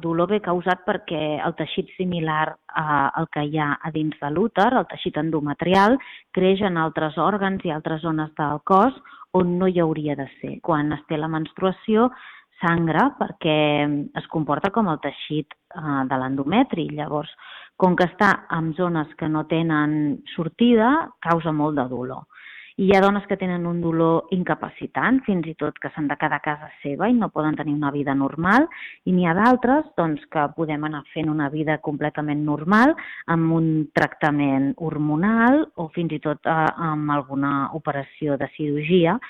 Dolor ve causat perquè el teixit similar al que hi ha a dins de l'úter, el teixit endometrial, creix en altres òrgans i altres zones del cos on no hi hauria de ser. Quan es té la menstruació, sangra perquè es comporta com el teixit de l'endometri. Llavors, com que està en zones que no tenen sortida, causa molt de dolor. I hi ha dones que tenen un dolor incapacitant, fins i tot que s'han de quedar a casa seva i no poden tenir una vida normal, i n'hi ha d'altres que podem anar fent una vida completament normal amb un tractament hormonal o fins i tot amb alguna operació de cirurgia